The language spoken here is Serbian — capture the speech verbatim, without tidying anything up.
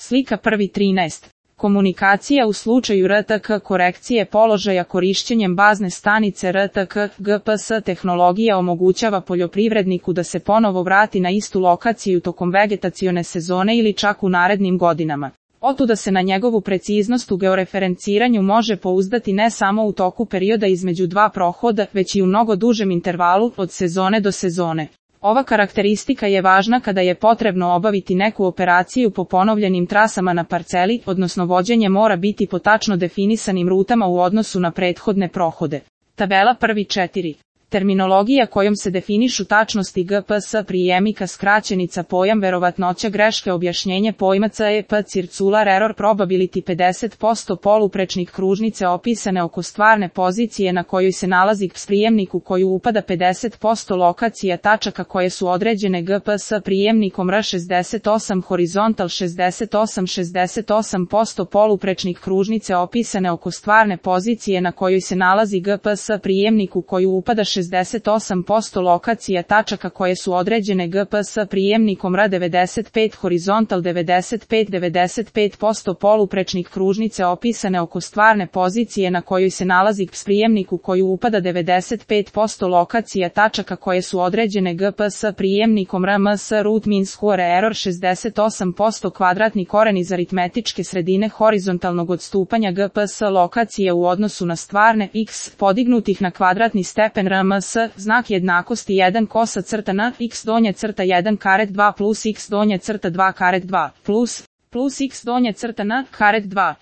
Slika prvi trinaest. Komunikacija u slučaju R T K korekcije položaja korišćenjem bazne stanice R T K G P S tehnologija omogućava poljoprivredniku da se ponovo vrati na istu lokaciju tokom vegetacione sezone ili čak u narednim godinama. Otuda se na njegovu preciznost u georeferenciranju može pouzdati ne samo u toku perioda između dva prohoda, već i u mnogo dužem intervalu od sezone do sezone. Ova karakteristika je važna kada je potrebno obaviti neku operaciju po ponovljenim trasama na parceli, odnosno vođenje mora biti po tačno definisanim rutama u odnosu na prethodne prohode. Tabela prvi četiri. Terminologija kojom se definišu tačnosti G P S prijemnika skraćenica pojam verovatnoća greške objašnjenje pojma C E P circular error probability pedeset posto poluprečnik kružnice opisane oko stvarne pozicije na kojoj se nalazi prijemnik u koju upada pedeset posto lokacija tačaka koje su određene G P S prijemnikom R šezdeset osam horizontal šezdeset osam šezdeset osam posto poluprečnik kružnice opisane oko stvarne pozicije na kojoj se nalazi G P S prijemnik u koju upada šezdeset osam posto lokacija tačaka koje su određene G P S prijemnikom R devedeset pet horizontal devedeset pet devedeset pet posto poluprečnik kružnice opisane oko stvarne pozicije na kojoj se nalazi prijemnik u koju upada devedeset pet posto lokacija tačaka koje su određene G P S prijemnikom R M S root mean square error šezdeset osam posto kvadratni koren iz aritmetičke sredine horizontalnog odstupanja G P S lokacije u odnosu na stvarne x podignutih na kvadratni stepen R M S, znak jednakosti jedan kosa crta na x donja crta jedan karet dva plus x donja crta dva karet dva plus plus x donja crta na karet dva.